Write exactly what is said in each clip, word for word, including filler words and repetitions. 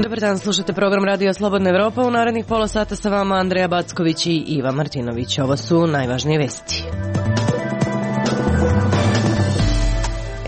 Dobar dan, slušate program Radio Slobodna Evropa. U narednih pola sata sa vama Andreja Backović i Iva Martinović. Ovo su najvažnije vesti.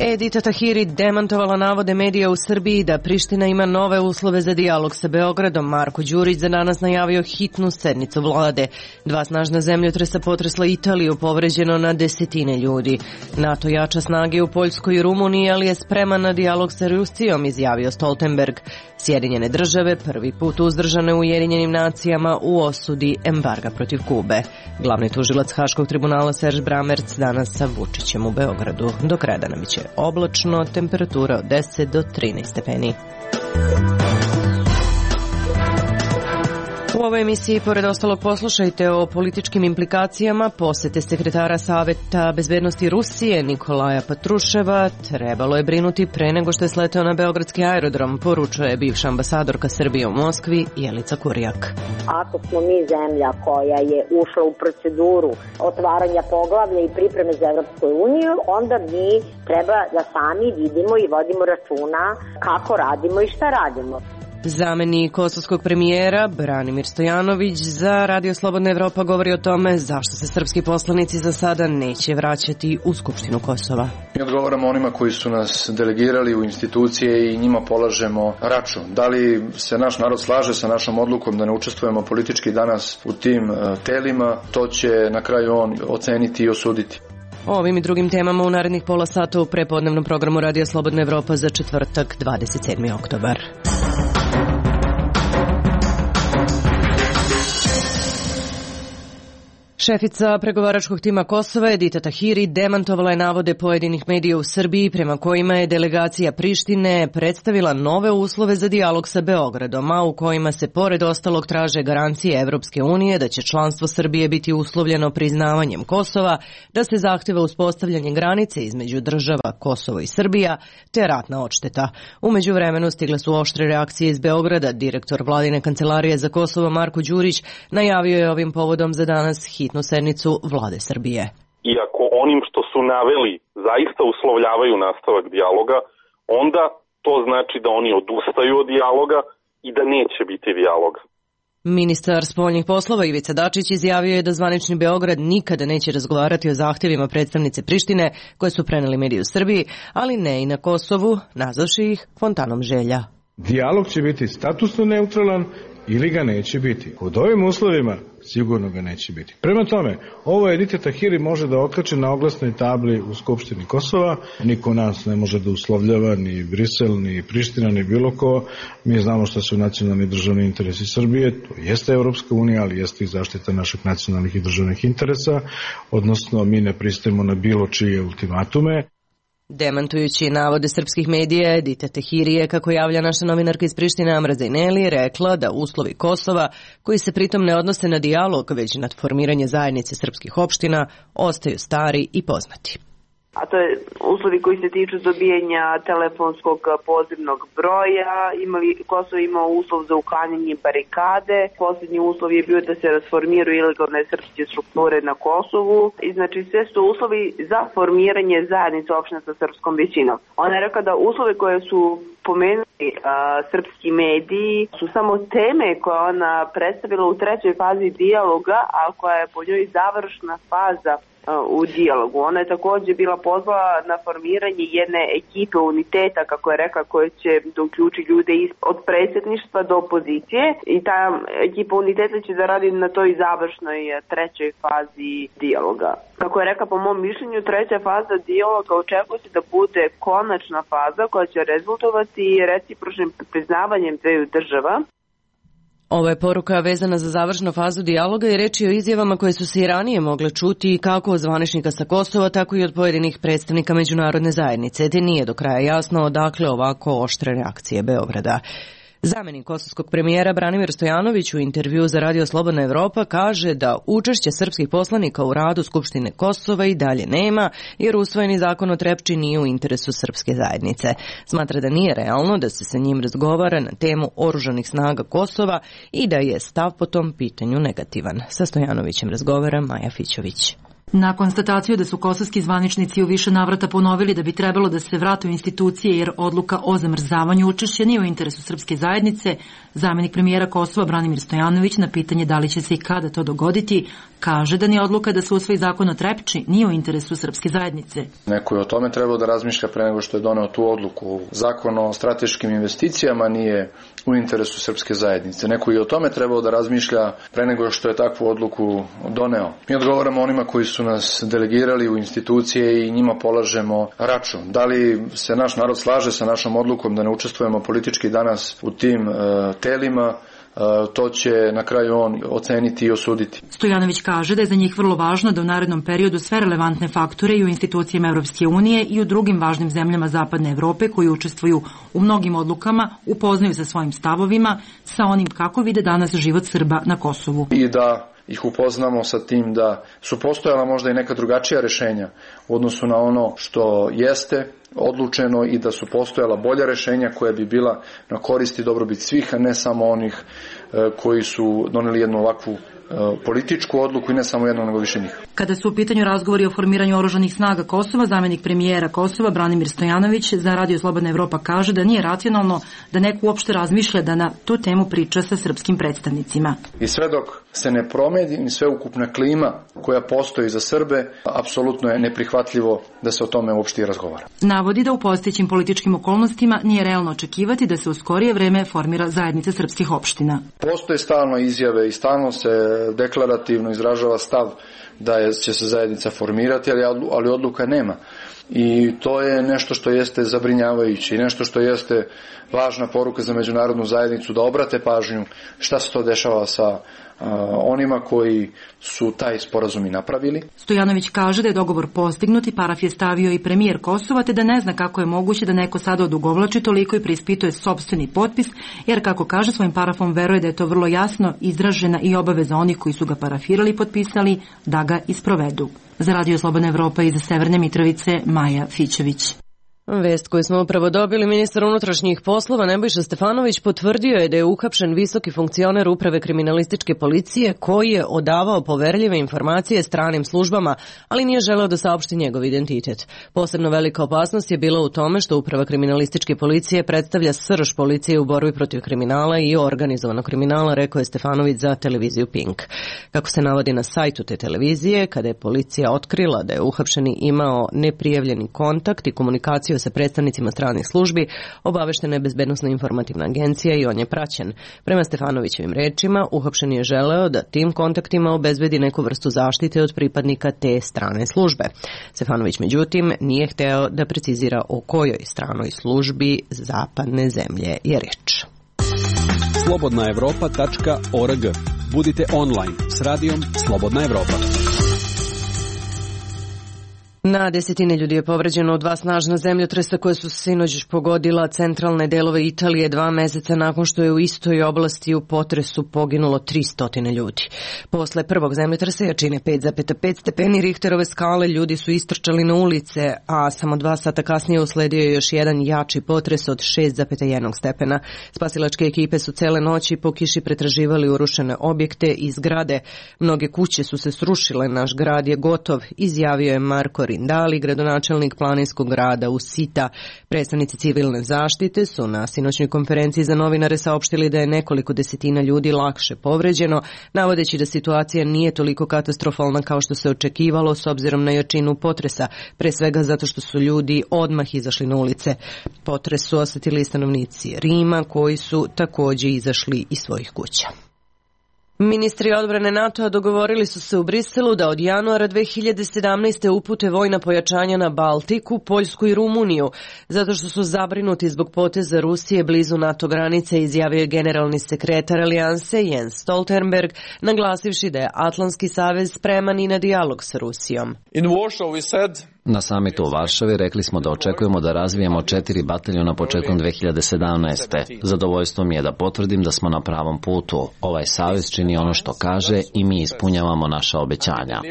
Edita Tahiri demantovala navode medija u Srbiji da Priština ima nove uslove za dijalog sa Beogradom. Marko Đurić za danas najavio hitnu sednicu vlade. Dva snažna zemljotresa potresla Italiju, povređeno na desetine ljudi. NATO jača snage u Poljskoj i Rumuniji, ali je spreman na dijalog sa Rusijom, izjavio Stoltenberg. Sjedinjene države prvi put uzdržane u Ujedinjenim nacijama u osudi embarga protiv Kube. Glavni tužilac Haškog tribunala Serž Bramerc danas sa Vučićem u Beogradu. Do kraja dana biće oblačno, temperatura od deset do trinaest stepeni. U ovoj emisiji, pored ostalog, poslušajte o političkim implikacijama posete sekretara Saveta bezbednosti Rusije Nikolaja Patruševa. Trebalo je brinuti pre nego što je sleteo na beogradski aerodrom, poručuje bivša ambasadorka Srbije u Moskvi Jelica Kurjak. Ako smo mi zemlja koja je ušla u proceduru otvaranja poglavlja i pripreme za Evropsku uniju, onda mi treba da sami vidimo i vodimo računa kako radimo i šta radimo. Zamenik kosovskog premijera Branimir Stojanović za Radio Slobodna Evropa govori o tome zašto se srpski poslanici za sada neće vraćati u Skupštinu Kosova. Mi odgovaramo onima koji su nas delegirali u institucije i njima polažemo račun. Da li se naš narod slaže sa našom odlukom da ne učestvujemo politički danas u tim telima, to će na kraju on oceniti i osuditi. O ovim i drugim temama u narednih pola sata u prepodnevnom programu Radio Slobodna Evropa za četvrtak, dvadeset sedmi oktobar. Šefica pregovaračkog tima Kosova Edita Tahiri demantovala je navode pojedinih medija u Srbiji prema kojima je delegacija Prištine predstavila nove uslove za dijalog sa Beogradom, a u kojima se pored ostalog traže garancije Evropske unije da će članstvo Srbije biti uslovljeno priznavanjem Kosova, da se zahteva uspostavljanje granice između država Kosovo i Srbija, te ratna odšteta. U međuvremenu stigle su oštre reakcije iz Beograda. Direktor vladine kancelarije za Kosovo Marko Đurić najavio je ovim povodom za danas hitnu sednicu vlade Srbije. Iako onim što su naveli zaista uslovljavaju nastavak dijaloga, onda to znači da oni odustaju od dijaloga i da neće biti dijaloga. Ministar spoljnih poslova Ivica Dačić izjavio je da zvanični Beograd nikada neće razgovarati o zahtjevima predstavnice Prištine koje su preneli mediji u Srbiji, ali ne i na Kosovu, nazvavši ih fontanom želja. Dijalog će biti statusno neutralan ili ga neće biti. Pod ovim uslovima sigurno ga neće biti. Prema tome, ovo Edita Tahiri može da okače na oglasnoj tabli u Skupštini Kosova. Niko nas ne može da uslovljava, ni Brisel, ni Priština, ni bilo ko. Mi znamo šta su nacionalni državni interesi Srbije. To jeste Evropska unija, ali jeste i zaštita naših nacionalnih i državnih interesa. Odnosno, mi ne pristajemo na bilo čije ultimatume. Demantujući navode srpskih medija, Edita Tahiri je, kako javlja naša novinarka iz Prištine Amra Zejneli, rekla da uslovi Kosova, koji se pritom ne odnose na dijalog, već na formiranje zajednice srpskih opština, ostaju stari i poznati. A to je uslovi koji se tiču dobijanja telefonskog pozivnog broja. Imali, Kosovo imao uslov za uklanjanje barikade. Posljednji uslov je bio da se rasformiraju ilegalne srpske strukture na Kosovu. I znači sve su uslovi za formiranje zajednice opština sa srpskom većinom. Ona je rekla da uslove koje su pomenuli a, srpski mediji su samo teme koje ona predstavila u trećoj fazi dijaloga, a koja je po njoj završna faza u dijalogu. Ona je također bila pozvala na formiranje jedne ekipe uniteta, kako je rekla, koje će da uključi ljude od predsjedništva do opozicije i ta ekipa uniteta će da radi na toj završnoj trećoj fazi dijaloga. Kako je rekla, po mom mišljenju, treća faza dijaloga očekuje se da bude konačna faza koja će rezultovati recipročnim priznavanjem dveju država. Ova je poruka vezana za završnu fazu dijaloga i reč je o izjavama koje su se i ranije mogle čuti kako od zvaničnika sa Kosova, tako i od pojedinih predstavnika međunarodne zajednice, te nije do kraja jasno odakle ovako oštre reakcije Beograda. Zamenik kosovskog premijera Branimir Stojanović u intervju za Radio Slobodna Evropa kaže da učešće srpskih poslanika u radu Skupštine Kosova i dalje nema, jer usvojeni zakon o Trepči nije u interesu srpske zajednice. Smatra da nije realno da se sa njim razgovara na temu oružanih snaga Kosova i da je stav po tom pitanju negativan. Sa Stojanovićem razgovara Maja Fićović. Na konstataciju da su kosovski zvaničnici u više navrata ponovili da bi trebalo da se vrate u institucije jer odluka o zamrzavanju učešća nije u interesu srpske zajednice, zamenik premijera Kosova Branimir Stojanović na pitanje da li će se i kada to dogoditi, kaže da ni odluka da se usvoji zakon o Trepči nije u interesu srpske zajednice. Neko je o tome trebao da razmišlja pre nego što je doneo tu odluku. Zakon o strateškim investicijama nije u interesu srpske zajednice. Neko je o tome trebao da razmišlja pre nego što je takvu odluku doneo. Mi odgovaramo onima koji su nas delegirali u institucije i njima polažemo račun. Da li se naš narod slaže sa našom odlukom da ne učestvujemo politički danas u tim e, telima, to će na kraju on oceniti i osuditi. Stojanović kaže da je za njih vrlo važno da u narednom periodu sve relevantne faktore i u institucijama Evropske unije i u drugim važnim zemljama Zapadne Evrope koji učestvuju u mnogim odlukama upoznaju sa svojim stavovima, sa onim kako vide danas život Srba na Kosovu. I da ih upoznamo sa tim da su postojala možda i neka drugačija rešenja u odnosu na ono što jeste odlučeno i da su postojala bolja rešenja koja bi bila na korist i dobrobit svih, a ne samo onih koji su doneli jednu ovakvu političku odluku i ne samo jedno, nego više njih. Kada su u pitanju razgovori o formiranju oružanih snaga Kosova, zamenik premijera Kosova Branimir Stojanović za Radio Slobodna Evropa kaže da nije racionalno da neko uopšte razmišlja da na tu temu priča sa srpskim predstavnicima. I sve dok se ne promeni sveukupna klima koja postoji za Srbe, apsolutno je neprihvatljivo da se o tome uopšte i razgovara. Navodi da u postojećim političkim okolnostima nije realno očekivati da se u skorije vreme formira zajednica srpskih opština. Postoje stalno izjave i stalno se deklarativno izražava stav da je, će se zajednica formirati, ali, ali odluka nema. I to je nešto što jeste zabrinjavajuće i nešto što jeste važna poruka za međunarodnu zajednicu da obrate pažnju šta se to dešava sa onima koji su taj sporazum i napravili. Stojanović kaže da je dogovor postignut i paraf je stavio i premijer Kosova, te da ne zna kako je moguće da neko sada odugovlači toliko i preispituje sopstveni potpis, jer kako kaže svojim parafom veruje da je to vrlo jasno izražena i obaveza onih koji su ga parafirali i potpisali da ga isprovedu. Za Radio Slobodna Evropa iz Severne Mitrovice, Maja Fićević. Vest koju smo upravo dobili, ministar unutrašnjih poslova Nebojša Stefanović potvrdio je da je uhapšen visoki funkcioner uprave kriminalističke policije koji je odavao poverljive informacije stranim službama, ali nije želeo da saopšti njegov identitet. Posebno velika opasnost je bila u tome što uprava kriminalističke policije predstavlja srž policije u borbi protiv kriminala i organizovanog kriminala, rekao je Stefanović za televiziju Pink. Kako se navodi na sajtu te televizije, kada je policija otkrila da je uhapšeni imao neprijavljeni kontakt i komunikaciju sa predstavnicima stranih službi, obaveštena je Bezbednosna informativna agencija i on je praćen. Prema Stefanovićevim rečima, uhapšen je želeo da tim kontaktima obezbedi neku vrstu zaštite od pripadnika te strane službe. Stefanović, međutim, nije hteo da precizira o kojoj stranoj službi zapadne zemlje je reč. slobodna evropa tačka org. Budite online s radijom Slobodna Evropa. Na desetine ljudi je povređeno od dva snažna zemljotresa koje su sinoć pogodila centralne delove Italije dva meseca nakon što je u istoj oblasti u potresu poginulo tristo ljudi. Posle prvog zemljotresa jačine pet zarez pet stepeni Richterove skale ljudi su istrčali na ulice, a samo dva sata kasnije usledio je još jedan jači potres od šest zarez jedan stepena. Spasilačke ekipe su cele noći po kiši pretraživali urušene objekte i zgrade. Mnoge kuće su se srušile, naš grad je gotov, izjavio je Marko Rindali, gradonačelnik planinskog grada Usita. Predstavnici civilne zaštite su na sinoćnoj konferenciji za novinare saopštili da je nekoliko desetina ljudi lakše povređeno, navodeći da situacija nije toliko katastrofalna kao što se očekivalo s obzirom na jačinu potresa, pre svega zato što su ljudi odmah izašli na ulice. Potres su osetili stanovnici Rima koji su takođe izašli iz svojih kuća. Ministri odbrane NATO-a dogovorili su se u Briselu da od januara dve hiljade sedamnaeste. upute vojna pojačanja na Baltiku, Poljsku i Rumuniju, zato što su zabrinuti zbog poteza Rusije blizu NATO granice, izjavio je generalni sekretar Alijanse Jens Stoltenberg, naglasivši da je Atlantski savez spreman i na dijalog sa Rusijom. In Warsaw we said Na samitu u Varšavi rekli smo da očekujemo da razvijemo četiri bataljona početkom dve hiljade sedamnaeste. Zadovoljstvo mi je da potvrdim da smo na pravom putu. Ovaj savez čini ono što kaže i mi ispunjavamo naša obećanja.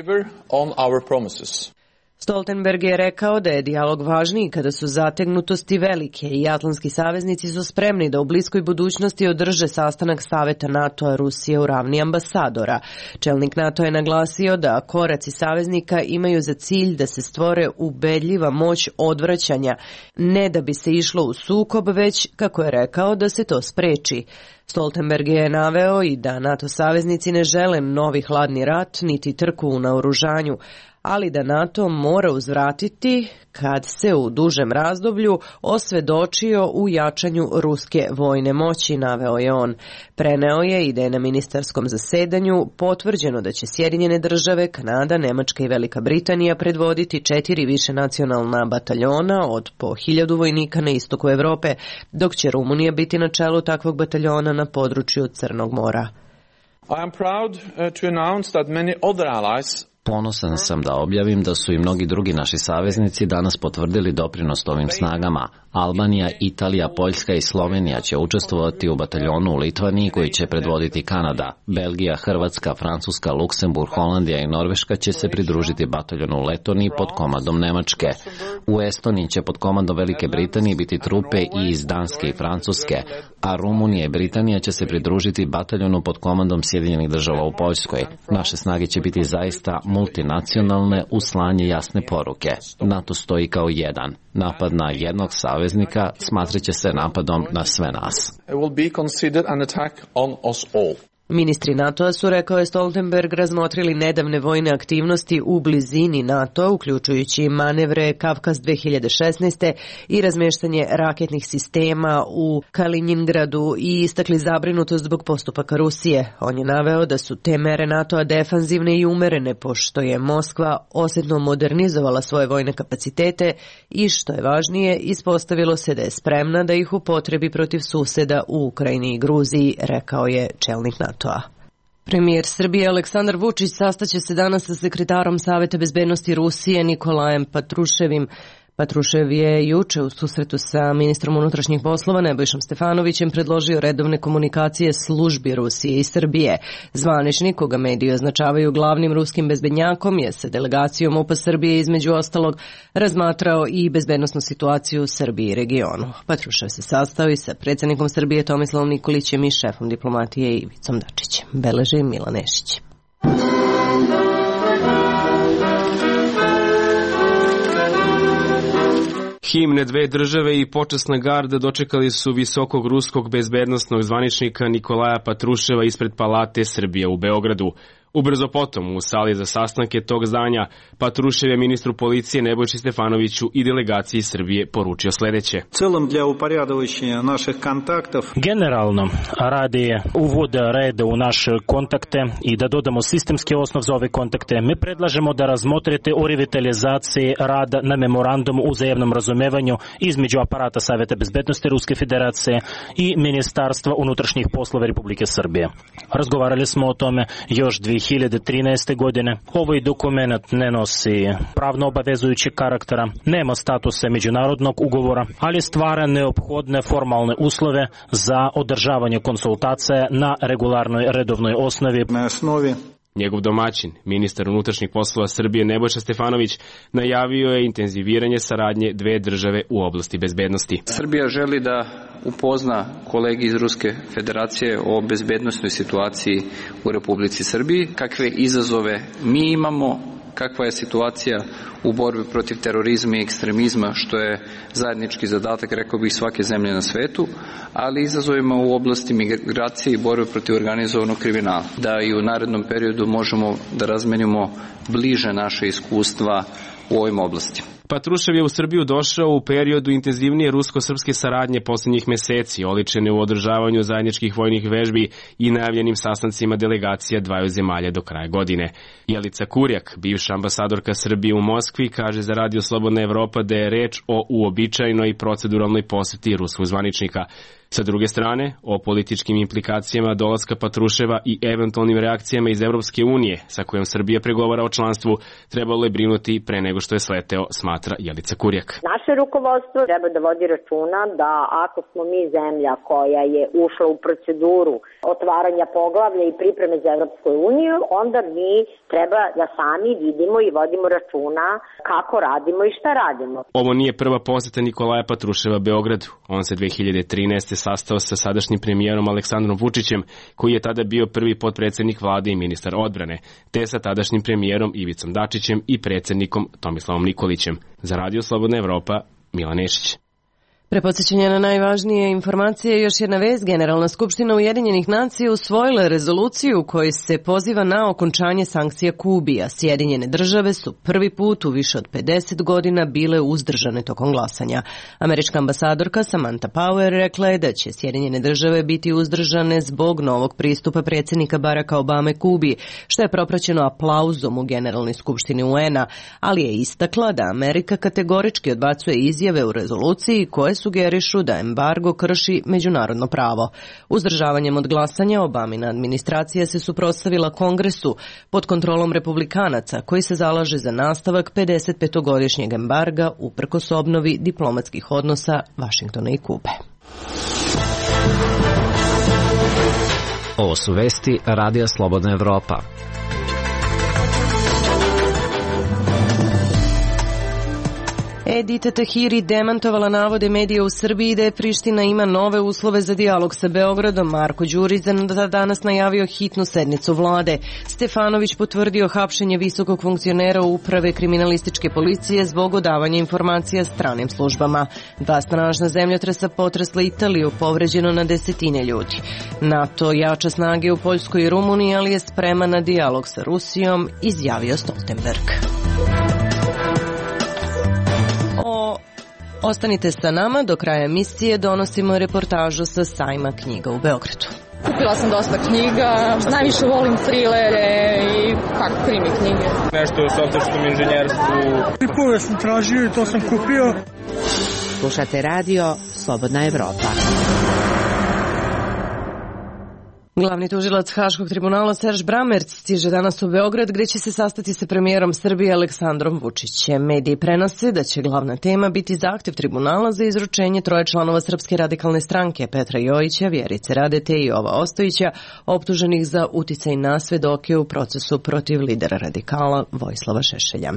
Stoltenberg je rekao da je dijalog važniji kada su zategnutosti velike i atlantski saveznici su spremni da u bliskoj budućnosti održe sastanak Saveta NATO-a Rusije u ravni ambasadora. Čelnik NATO je naglasio da koraci saveznika imaju za cilj da se stvore ubedljiva moć odvraćanja, ne da bi se išlo u sukob, već, kako je rekao, da se to spreči. Stoltenberg je naveo i da NATO saveznici ne žele novi hladni rat niti trku u naoružanju, ali da NATO mora uzvratiti kad se u dužem razdoblju osvedočio u jačanju ruske vojne moći, naveo je on. Preneo je i da je na ministarskom zasedanju potvrđeno da će Sjedinjene države, Kanada, Nemačka i Velika Britanija predvoditi četiri višenacionalna bataljona od po hiljadu vojnika na istoku Evrope, dok će Rumunija biti na čelu takvog bataljona na području Crnog mora. I am proud to announce that many other allies Ponosan sam da objavim da su i mnogi drugi naši saveznici danas potvrdili doprinos ovim snagama. Albanija, Italija, Poljska i Slovenija će učestvovati u bataljonu u Litvaniji koji će predvoditi Kanada. Belgija, Hrvatska, Francuska, Luksemburg, Holandija i Norveška će se pridružiti bataljonu u Letoniji pod komandom Nemačke. U Estoniji će pod komandom Velike Britanije biti trupe i iz Danske i Francuske, a Rumunija i Britanija će se pridružiti bataljonu pod komandom Sjedinjenih država u Poljskoj. Naše snage će biti zaista multinacionalne u slanje jasne poruke. NATO stoji kao jedan. Napad na jednog saveznika smatraće se napadom na sve nas. Ministri NATO-a su, rekao je Stoltenberg, razmotrili nedavne vojne aktivnosti u blizini NATO, uključujući manevre Kavkaz dve hiljade šesnaeste i razmeštanje raketnih sistema u Kaliningradu i istakli zabrinutost zbog postupaka Rusije. On je naveo da su te mere NATO-a defanzivne i umerene, pošto je Moskva osjetno modernizovala svoje vojne kapacitete i, što je važnije, ispostavilo se da je spremna da ih upotrebi protiv suseda u Ukrajini i Gruziji, rekao je čelnik NATO. Premijer Srbije Aleksandar Vučić sastaće se danas sa sekretarom Saveta bezbednosti Rusije Nikolajem Patruševim. Patrušev je juče u susretu sa ministrom unutrašnjih poslova Nebojšom Stefanovićem predložio redovne komunikacije službi Rusije i Srbije. Zvaničnik, koga mediji označavaju glavnim ruskim bezbednjakom, je sa delegacijom U P A Srbije između ostalog razmatrao i bezbednosnu situaciju u Srbiji i regionu. Patrušev se sastao i sa predsjednikom Srbije Tomislavom Nikolićem i šefom diplomatije Ivicom Dačićem. Beleži Milan Nešić. Himne dve države i počasna garda dočekali su visokog ruskog bezbednosnog zvaničnika Nikolaja Patruševa ispred Palate Srbije u Beogradu. Ubrzo potom, u sali za sastanke tog zdanja, Patrušev je ministru policije Nebojši Stefanoviću i delegaciji Srbije poručio sledeće. Generalno, radi uvoda reda u naše kontakte i da dodamo sistemski osnov za ove kontakte, mi predlažemo da razmotrite o revitalizaciji rada na memorandumu u uzajamnom razumevanju između aparata Saveta bezbednosti Ruske federacije i Ministarstva unutrašnjih poslova Republike Srbije. Razgovarali smo o tome još dve hiljade trinaeste. godine. Ovaj dokument ne nosi pravno obavezujući karaktera, nema statusa međunarodnog ugovora, ali stvara neophodne formalne uslove za održavanje konsultacija na regularnoj redovnoj osnovi. Na osnovi Njegov domaćin, ministar unutrašnjih poslova Srbije Nebojša Stefanović, najavio je intenziviranje saradnje dve države u oblasti bezbednosti. Srbija želi da upozna kolegi iz Ruske federacije o bezbednosnoj situaciji u Republici Srbiji, kakve izazove mi imamo, kakva je situacija u borbi protiv terorizma i ekstremizma, što je zajednički zadatak, rekao bih, svake zemlje na svetu, ali izazovima u oblasti migracije i borbe protiv organizovanog kriminala. Da i u narednom periodu možemo da razmenimo bliže naše iskustva u ovim oblastima. Patrušev je u Srbiju došao u periodu intenzivnije rusko-srpske saradnje posljednjih meseci, oličene u održavanju zajedničkih vojnih vežbi i najavljenim sastancima delegacija dvaju zemalja do kraja godine. Jelica Kurjak, bivša ambasadorka Srbije u Moskvi, kaže za Radio Slobodna Evropa da je reč o uobičajenoj proceduralnoj poseti ruskog zvaničnika. Sa druge strane, o političkim implikacijama dolaska Patruševa i eventualnim reakcijama iz Evropske unije, sa kojom Srbija pregovara o članstvu, trebalo je brinuti pre nego što je sleteo, smatra Jelica Kurjak. Naše rukovodstvo treba da vodi računa da ako smo mi zemlja koja je ušla u proceduru otvaranja poglavlja i pripreme za Evropsku uniju, onda mi treba da sami vidimo i vodimo računa kako radimo i šta radimo. Ovo nije prva poseta Nikolaja Patruševa Beogradu. On se dve hiljade trinaeste. sastao sa sadašnjim premijerom Aleksandrom Vučićem, koji je tada bio prvi potpredsednik vlade i ministar odbrane, te sa tadašnjim premijerom Ivicom Dačićem i predsednikom Tomislavom Nikolićem. Za Radio Slobodna Evropa, Milan Nešić. Pre podsjećanja na najvažnije informacije, još jedna vest. Generalna skupština Ujedinjenih nacija usvojila je rezoluciju u kojoj se poziva na okončanje sankcija Kubi, a Sjedinjene države su prvi put u više od pedeset godina bile uzdržane tokom glasanja. Američka ambasadorka Samantha Power rekla je da će Sjedinjene države biti uzdržane zbog novog pristupa predsjednika Baracka Obame Kubi, što je propraćeno aplauzom u Generalnoj skupštini U N-a, ali je istakla da Amerika kategorički odbacuje izjave u rezoluciji koje sugerišu da embargo krši međunarodno pravo. Uzdržavanjem od glasanja Obamina administracija se suprotstavila Kongresu pod kontrolom republikanaca, koji se zalaže za nastavak pedesetpetogodišnjeg embarga uprkos obnovi diplomatskih odnosa Vašingtona i Kube. Ovo su vesti Radija Slobodna Evropa. Edita Tahiri demantovala navode medija u Srbiji da je Priština ima nove uslove za dijalog sa Beogradom. Marko Đurić za danas najavio hitnu sednicu vlade. Stefanović potvrdio hapšenje visokog funkcionera uprave kriminalističke policije zbog odavanja informacija stranim službama. Dva snažna zemljotresa potresla Italiju, povređeno na desetine ljudi. NATO jača snage u Poljskoj i Rumuniji, ali je spreman na dijalog sa Rusijom, izjavio Stoltenberg. Ostanite sa nama, do kraja emisije donosimo reportažu sa sajma knjiga u Beogradu. Kupila sam dosta knjiga, najviše volim trilere i kako krimi knjige. Nešto o softverskom inženjerstvu. Tipove sam tražio i to sam kupio. Slušate radio Slobodna Evropa. Glavni tužilac Haškog tribunala Serž Bramerc stiže danas u Beograd, gdje će se sastati sa premijerom Srbije Aleksandrom Vučićem. Mediji prenose da će glavna tema biti zahtjev tribunala za izručenje troje članova Srpske radikalne stranke, Petra Jojića, Vjerice Radete i Jova Ostojića, optuženih za uticaj na svedoke u procesu protiv lidera radikala Vojislava Šešelja.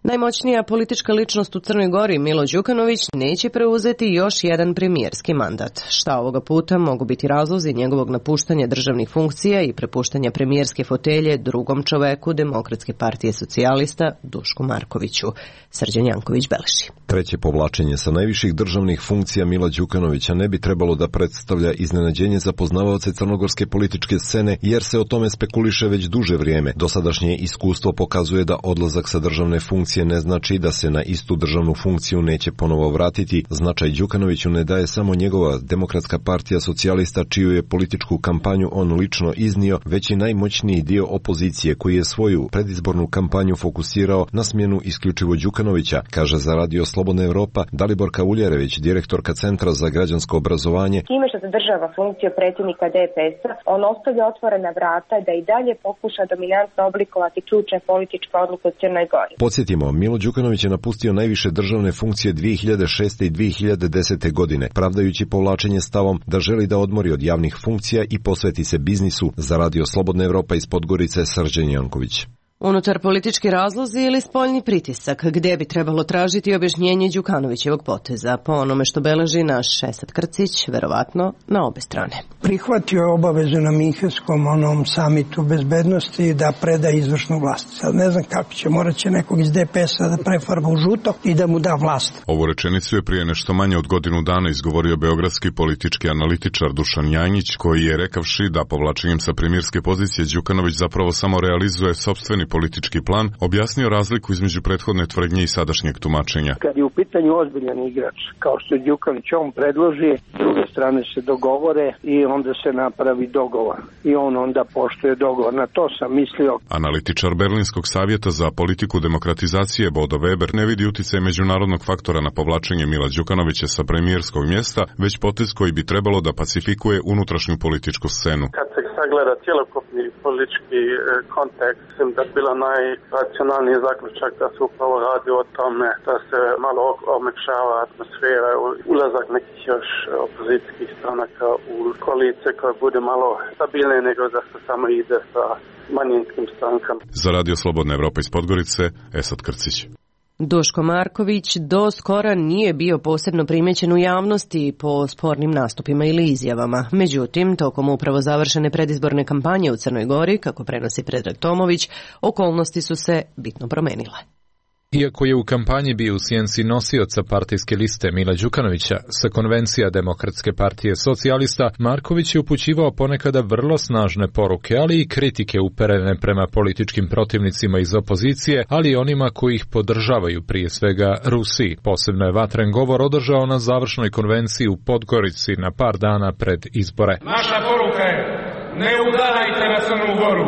Najmoćnija politička ličnost u Crnoj Gori, Milo Đukanović, neće preuzeti još jedan premijerski mandat. Šta ovoga puta mogu biti razlozi njegovog napuštanja državnih funkcija i prepuštanja premijerske fotelje drugom čoveku Demokratske partije socijalista, Dušku Markoviću. Srđan Janković beleži. Treće povlačenje sa najviših državnih funkcija Mila Đukanovića ne bi trebalo da predstavlja iznenađenje za poznavaoce crnogorske političke scene, jer se o tome spekuliše već duže vrijeme. Dosadašnje iskustvo pokazuje da odlazak sa državne funkcije ne znači da se na istu državnu funkciju neće ponovo vratiti. Značaj Đukanoviću ne daje samo njegova Demokratska partija socijalista, čiju je političku kampanju on lično iznio, već i najmoćniji dio opozicije koji je svoju predizbornu kampanju fokusirao na smjenu isključivo Đukanovića, kaže za Radio Slobodna Evropa Daliborka Uljerević, direktorka Centra za građansko obrazovanje. Time što zadržava funkciju predsjednika D P S-a, on ostavlja otvorena vrata da i dalje pokuša dominantno oblikovati ključne političke odluke u Crnoj Gori. Podsjetimo, Milo Đukanović je napustio najviše državne funkcije dvije hiljade šeste i dvije hiljade desete godine, pravdajući povlačenje stavom da želi da odmori od javnih funkcija i posveti se biznisu. Za Radio Slobodna Evropa iz Podgorice, Srđan Janković. Unutar politički razlozi ili spoljni pritisak, gdje bi trebalo tražiti objašnjenje Đukanovićevog poteza, po onome što beleži naš Esad Krcić, verovatno na obe strane. prihvatio je obavezu na Minhenskom onom samitu bezbednosti da preda izvršnu vlast. Sad ne znam kako će, morat će nekog iz D P S-a da prefarba u žuto i da mu da vlast. Ovu rečenicu je prije nešto manje od godinu dana izgovorio beogradski politički analitičar Dušan Janjić, koji je rekavši da povlačenjem sa premijerske pozicije Đukanović zapravo samo realizuje sopstveni politički plan, objasnio razliku između prethodne tvrdnje i sadašnjeg tumačenja. Kad je u pitanju ozbiljan igrač, kao što je Đukanović, on predloži, s druge strane se dogovore i onda se napravi dogovor. I on onda poštuje dogovor. Na to sam mislio. Analitičar Berlinskog savjeta za politiku demokratizacije Bodo Weber ne vidi uticaj međunarodnog faktora na povlačenje Mila Đukanovića sa premijerskog mjesta, već potez koji bi trebalo da pacifikuje unutrašnju političku scenu. Kad se sagleda cjelokupni politički kontekst, mislim da je bila najracionalniji zaključak da se upravo radi o tome da se malo omekšava atmosfera, ulazak nekih još opozicijskih stranaka u koalicije koja bude malo stabilnije nego da se samo ide sa manjinskim strankama. Za Radio Slobodna Evropa iz Podgorice, Esad Krcić. Duško Marković do skora nije bio posebno primećen u javnosti po spornim nastupima ili izjavama. Međutim, tokom upravo završene predizborne kampanje u Crnoj Gori, kako prenosi Predrag Tomović, okolnosti su se bitno promenile. Iako je u kampanji bio u sjenci nosioca partijske liste Mila Đukanovića sa konvencija Demokratske partije socijalista, Marković je upućivao ponekada vrlo snažne poruke, ali i kritike uperene prema političkim protivnicima iz opozicije, ali i onima koji ih podržavaju, prije svega Rusiji. Posebno je vatren govor održao na završnoj konvenciji u Podgorici na par dana pred izbore. Naša poruka je: ne udarajte na Crnu Goru,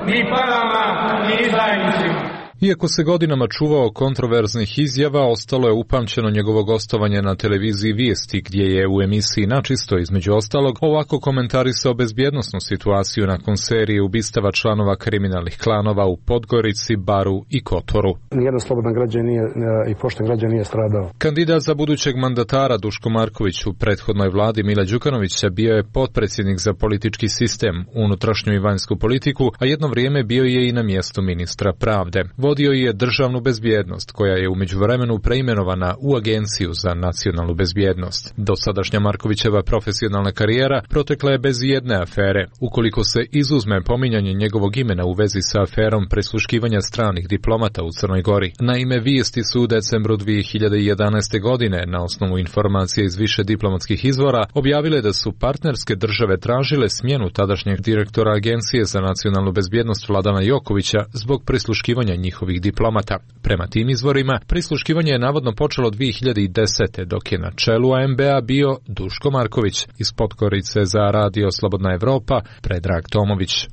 ni parama, ni izdajnicima. Iako se godinama čuvao kontroverznih izjava, ostalo je upamćeno njegovo gostovanje na televiziji Vijesti, gdje je u emisiji Načisto, između ostalog, ovako komentarisao bezbjednosnu situaciju nakon serije ubistava članova kriminalnih klanova u Podgorici, Baru i Kotoru. Nijedan slobodan građan nije, i pošten građan nije stradao. Kandidat za budućeg mandatara Duško Marković u prethodnoj vladi Mila Đukanovića bio je potpredsjednik za politički sistem, unutrašnju i vanjsku politiku, a jedno vrijeme bio je i na mjestu ministra pravde. Vodio je državnu bezbjednost, koja je u međuvremenu preimenovana u Agenciju za nacionalnu bezbjednost. Dosadašnja Markovićeva profesionalna karijera protekla je bez jedne afere, ukoliko se izuzme pominjanje njegovog imena u vezi sa aferom prisluškivanja stranih diplomata u Crnoj Gori. Naime, Vijesti su u decembru dvije hiljade jedanaeste. godine, na osnovu informacije iz više diplomatskih izvora, objavile da su partnerske države tražile smjenu tadašnjeg direktora Agencije za nacionalnu bezbjednost Vladana Jokovića zbog prisluškivanja njihovih diplomata. Prema tim izvorima, prisluškivanje je navodno počelo dvije hiljade desete. dok je na čelu A M B-a bio Duško Marković. Iz Podgorice za Radio Slobodna Evropa, Predrag Tomović.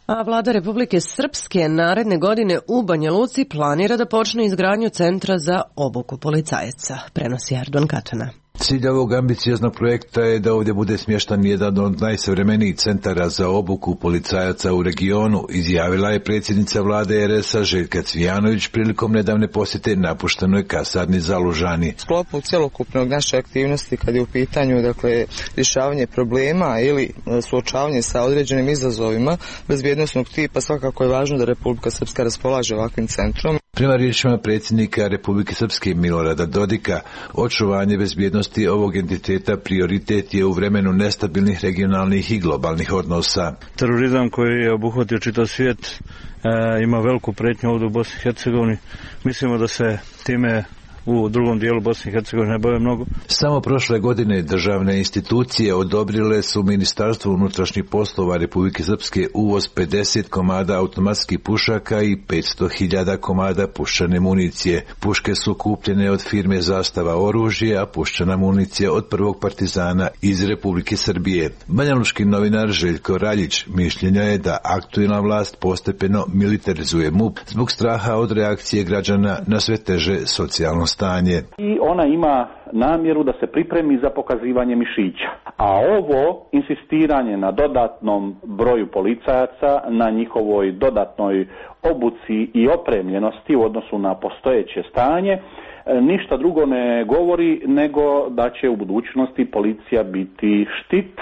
A vlada Republike Srpske naredne godine u Banja Luci planira da počne izgradnju centra za obuku policajaca, prenosi Erdogan Katana. Cilj ovog ambicioznog projekta je da ovdje bude smještan jedan od najsavremenijih centara za obuku policajaca u regionu, izjavila je predsjednica vlade R S-a Željka Cvijanović prilikom nedavne posjete napuštenoj kasarni za Lužani. Sklopu cjelokupnog naše aktivnosti kad je u pitanju dakle rješavanje problema ili suočavanje sa određenim izazovima bezbjednosnog tipa, svakako je važno da Republika Srpska raspolaže ovakvim centrom. Prema riječima predsjednika Republike Srpske Milorada Dodika, očuvanje bezbjednosti ovog entiteta prioritet je u vremenu nestabilnih regionalnih i globalnih odnosa. Terorizam koji je obuhvatio čitav svijet e, ima veliku pretnju ovdje u Bosni i Hercegovini. Mislimo da se time u drugom dijelu Bosne i Hercegovine ne bave mnogo. Samo prošle godine državne institucije odobrile su Ministarstvu unutrašnjih poslova Republike Srpske uvoz pedeset komada automatskih pušaka i petsto hiljada komada puščane municije. Puške su kupljene od firme Zastava oružje, a puščana municija od prvog partizana iz Republike Srbije. Banjalučki novinar Željko Raljić mišljenja je da aktualna vlast postepeno militarizuje M U P zbog straha od reakcije građana na sve teže socijalno stanje. I ona ima namjeru da se pripremi za pokazivanje mišića. A ovo insistiranje na dodatnom broju policajaca, na njihovoj dodatnoj obuci i opremljenosti u odnosu na postojeće stanje, ništa drugo ne govori nego da će u budućnosti policija biti štit,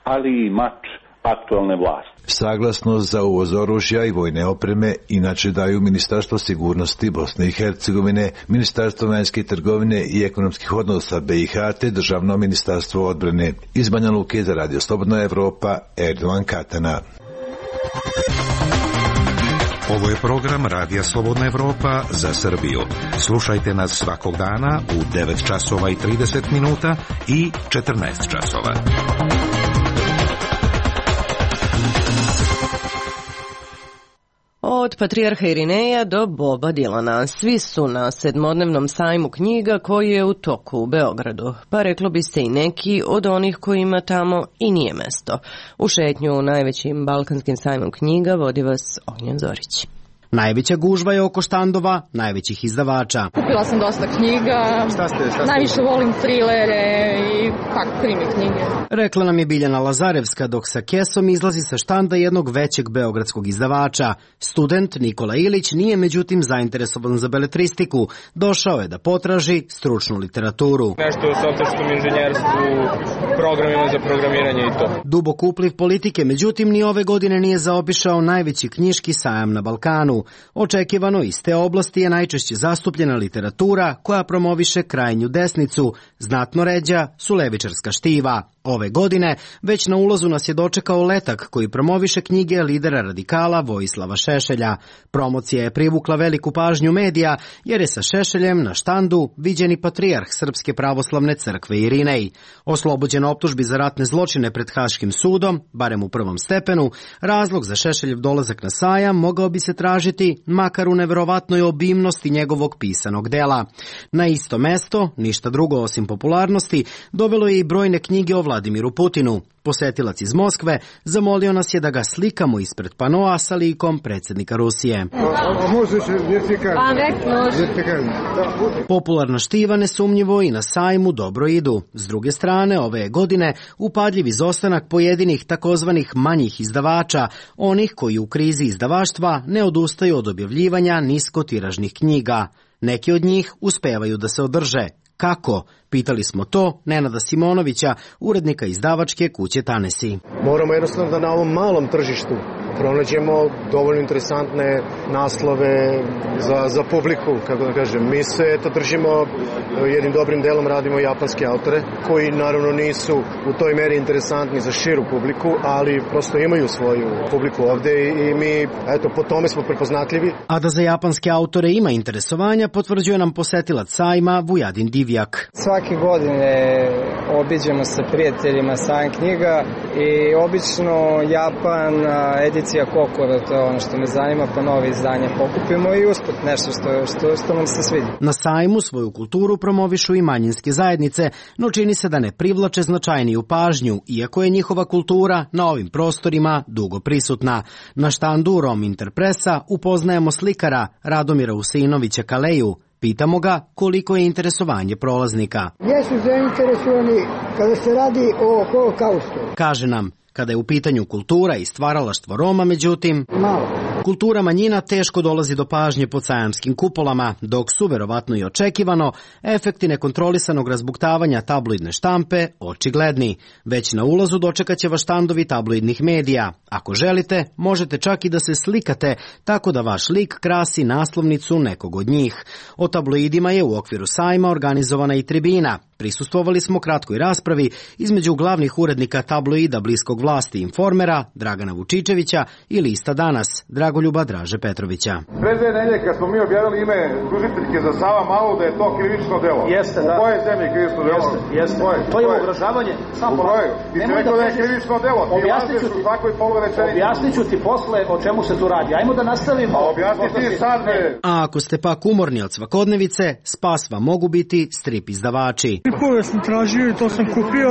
ali i mač aktualne vlasti. Saglasnost za uvoz oružja i vojne opreme inače daju Ministarstvo sigurnosti Bosne i Hercegovine, Ministarstvo vanjske trgovine i ekonomskih odnosa B i H te Državno ministarstvo odbrane. Iz Banja Luke za Radio Slobodna Evropa, Erdovan Katana. Ovo je program Radija Slobodna Evropa za Srbiju. Slušajte nas svakog dana u devet časova i trideset minuta i četrnaest časova. Od Patrijarha Irineja do Boba Dilana, svi su na sedmodnevnom sajmu knjiga koji je u toku u Beogradu, pa reklo bi se i neki od onih kojima tamo i nije mesto. U šetnju u najvećim balkanskim sajmom knjiga vodi vas Ognjen Zorić. Najveća gužva je oko štandova najvećih izdavača. Kupila sam dosta knjiga, šta ste, šta ste najviše volim trilere i kako krimi knjige. Rekla nam je Biljana Lazarevska dok sa kesom izlazi sa štanda jednog većeg beogradskog izdavača. Student Nikola Ilić nije međutim zainteresovan za beletristiku. Došao je da potraži stručnu literaturu. Nešto o softverskom inženjerstvu, programima za programiranje i to. Dubok upliv politike međutim ni ove godine nije zaobišao najveći knjiški sajam na Balkanu. Očekivano iz te oblasti je najčešće zastupljena literatura koja promoviše krajnju desnicu, znatno ređa su levičarska štiva. Ove godine već na ulazu nas je dočekao letak koji promoviše knjige lidera radikala Vojislava Šešelja. Promocija je privukla veliku pažnju medija jer je sa Šešeljem na štandu viđeni patrijarh Srpske pravoslavne crkve Irinej. Oslobođen optužbi za ratne zločine pred Haškim sudom, barem u prvom stepenu, razlog za Šešeljev dolazak na sajam mogao bi se tražiti makar u neverovatnoj obimnosti njegovog pisanog dela. Na isto mesto, ništa drugo osim popularnosti, dovelo je i brojne knjige o Vladimiru Putinu. Posetilac iz Moskve zamolio nas je da ga slikamo ispred panoa sa likom predsjednika Rusije. Popularna štiva nesumnjivo i na sajmu dobro idu. S druge strane, ove godine upadljiv izostanak pojedinih takozvanih manjih izdavača, onih koji u krizi izdavaštva ne odustaju od objavljivanja niskotiražnih knjiga. Neki od njih uspevaju da se održe. Kako? Pitali smo to Nenada Simonovića, urednika izdavačke kuće Tanesi. Moramo jednostavno da na ovom malom tržištu pronađemo dovoljno interesantne naslove za, za publiku, kako da kažem. Mi se eto držimo, jednim dobrim delom radimo japanske autore, koji naravno nisu u toj meri interesantni za širu publiku, ali prosto imaju svoju publiku ovde i mi, eto, po tome smo prepoznatljivi. A da za japanske autore ima interesovanja, potvrđuje nam posetilac sajma Vujadin Divjak. Svake godine obiđemo sa prijateljima sajam knjiga i obično Japan, edicija Kokoro, to je ono što me zanima, pa nove izdanja pokupimo i usput nešto što, što, što nam se svidi. Na sajmu svoju kulturu promovišu i manjinske zajednice, no čini se da ne privlače značajniju pažnju, iako je njihova kultura na ovim prostorima dugo prisutna. Na štandu Rom Interpresa upoznajemo slikara Radomira Usinovića Kaleju. Pitamo ga koliko je interesovanje prolaznika. Jesu zainteresovani kada se radi o holokaustu. Kaže nam, kada je u pitanju kultura i stvaralaštvo Roma, međutim, malo. Kultura manjina teško dolazi do pažnje pod sajamskim kupolama, dok su, verovatno i očekivano, efekti nekontrolisanog razbuktavanja tabloidne štampe očigledni. Već na ulazu dočekat će vas štandovi tabloidnih medija. Ako želite, možete čak i da se slikate, tako da vaš lik krasi naslovnicu nekog od njih. O tabloidima je u okviru sajma organizovana i tribina. Prisustvovali smo kratkoj raspravi između glavnih urednika tabloida bliskog vlasti Informera, Dragana Vučičevića i lista Danas, Dragoljuba Draže Petrovića. Pre dve nedelje kad smo mi objavili ime tužiteljke za Sava Malu da je to krivično delo. Jeste, da. U kojoj zemlji krivično delo? Jeste, jeste. Koje? To je ugrožavanje. Samo u kojoj? Ti si rekao da je krivično delo. Ti lažeš u takvoj polurečenici. Objasnit ću ti posle o čemu se tu radi. Ajmo da nastavimo. A objasni ti sad, ne. A ako ste pak umorni od svakodnevice, spas vam mogu biti strip izdavači. Stripove sam tražio i to sam kupio.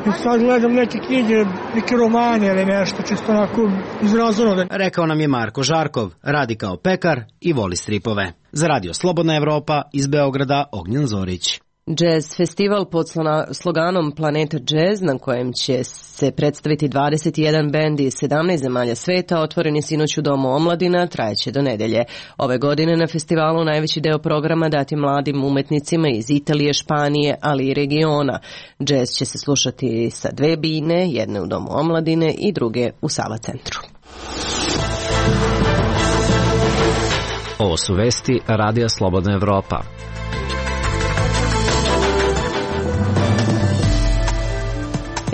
I sad gledam neke knjige, neke romane ili nešto, čisto onako izrazano. Rekao nam je Marko Žarkov, radi kao pekar i voli stripove. Za Radio Slobodna Evropa iz Beograda, Ognjen Zorić. Jazz festival pod sloganom Planeta Jazz, na kojem će se predstaviti dvadeset jedan bend iz sedamnaest zemalja sveta, otvoren je sinoć u Domu omladina, trajeće do nedelje. Ove godine na festivalu najveći deo programa dati mladim umetnicima iz Italije, Španije, ali i regiona. Jazz će se slušati sa dve bine, jedne u Domu omladine i druge u Sava centru. Ovo su vesti Radija Slobodna Evropa.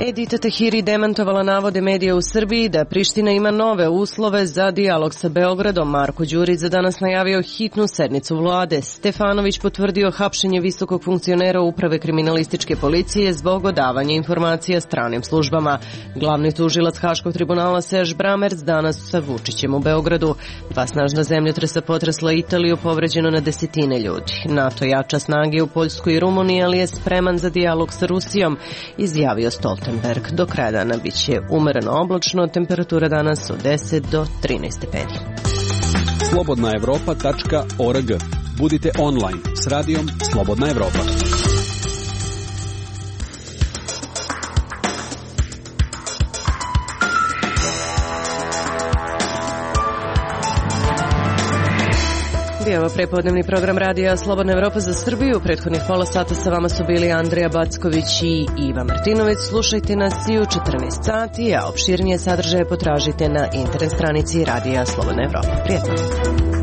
Edita Tahiri demantovala navode medija u Srbiji da Priština ima nove uslove za dijalog sa Beogradom. Marko Đurić za danas najavio hitnu sednicu vlade. Stefanović potvrdio hapšenje visokog funkcionera uprave kriminalističke policije zbog odavanja informacija stranim službama. Glavni tužilac Haškog tribunala Serž Bramerc danas sa Vučićem u Beogradu. Dva snažna zemljotresa potresla Italiju, povređeno na desetine ljudi. NATO jača snage u Poljskoj i Rumuniji, ali je spreman za dijalog sa Rusijom, izjavio Stoltenberg. Do kraja dana bit će umereno oblačno, temperatura danas od deset do trinaest stepeni. slobodna evropa tačka org. Budite online s radijom Slobodna Evropa. Bio prepodnevni program radija Slobodna Evropa za Srbiju. Prethodnih pola sata sa vama su bili Andrija Backović i Iva Martinović. Slušajte nas i u četrnaest sati, a opširnije sadržaje potražite na internet stranici radija Slobodna Evropa. Prijetno!